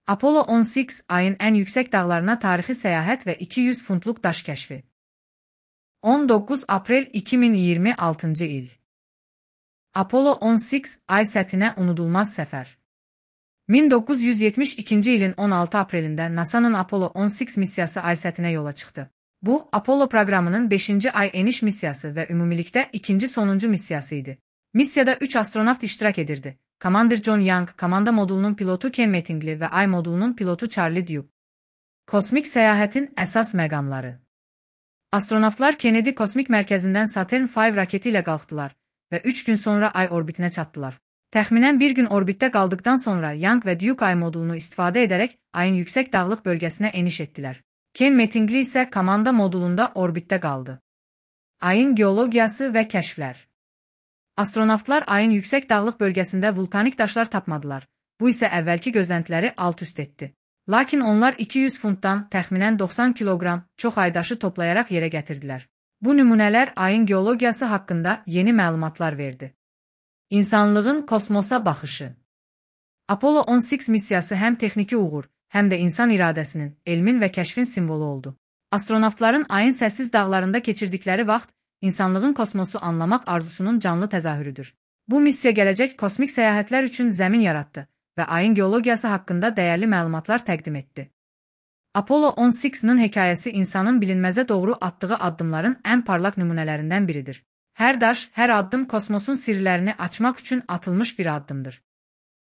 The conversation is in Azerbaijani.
Apollo 18, ayın en yüksek dağlarına tarihi seyahat ve 200 funtluq daş kəşfi. 19 Aprel 2026 il. Apollo 18, ay səthinə unudulmaz səfər. 1972 ilin 16 aprelində NASA'nın Apollo 18 missiyası ay səthinə yola çıxdı. Bu, Apollo proqramının 5-ci ay eniş missiyası və ümumilikdə ikinci sonuncu missiyası idi. Missiyada 3 astronavt iştirak edirdi. Komandir John Young, komanda modulunun pilotu Ken Mattingly və ay modulunun pilotu Charlie Duke. Kosmik səyahətin əsas məqamları. Astronavtlar Kennedy Kosmik Mərkəzindən Saturn V raketi ilə qalxdılar və 3 gün sonra ay orbitinə çatdılar. Təxminən bir gün orbitdə qaldıqdan sonra Young və Duke ay modulunu istifadə edərək ayın yüksək dağlıq bölgəsinə eniş etdilər. Ken Mattingly isə komanda modulunda orbitdə qaldı. Ayın geologiyası və kəşflər. Astronavtlar ayın yüksək dağlıq bölgəsində vulkanik daşlar tapmadılar. Bu isə əvvəlki gözləntiləri alt-üst etdi. Lakin onlar 200 funtdan təxminən 90 kiloqram çox ay daşı toplayaraq yerə gətirdilər. Bu nümunələr ayın geologiyası haqqında yeni məlumatlar verdi. İnsanlığın kosmosa baxışı. Apollo 18 missiyası həm texniki uğur, həm də insan iradəsinin, elmin və kəşfin simvolu oldu. Astronavtların ayın səssiz dağlarında keçirdikləri vaxt insanlığın kosmosu anlamaq arzusunun canlı təzahürüdür. Bu missiya gələcək kosmik səyahətlər üçün zəmin yaratdı və ayın geologiyası haqqında dəyərli məlumatlar təqdim etdi. Apollo 18-nin hekayəsi insanın bilinməzə doğru atdığı addımların ən parlaq nümunələrindən biridir. Hər daş, hər addım kosmosun sirlərini açmaq üçün atılmış bir addımdır.